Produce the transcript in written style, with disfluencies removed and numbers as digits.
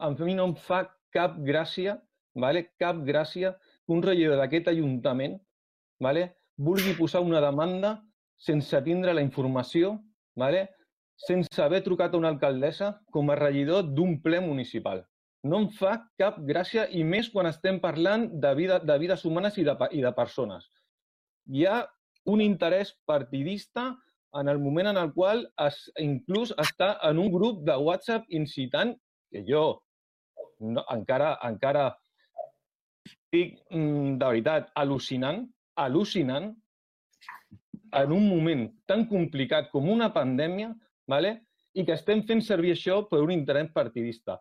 a mi no em fa cap gràcia, cap gràcia que un regidor d'aquest Ajuntament vulgui posar una demanda sense tindre la informació, sense haver trucat a una alcaldessa com a regidor d'un ple municipal. No em fa cap gràcia, i més quan estem parlant de vides humanes i de persones. Hi ha un interès partidista en el moment en el qual inclús està en un grup de WhatsApp incitant, que jo encara estic, de veritat, al·lucinant, en un moment tan complicat com una pandèmia, i que estem fent servir això per un interès partidista.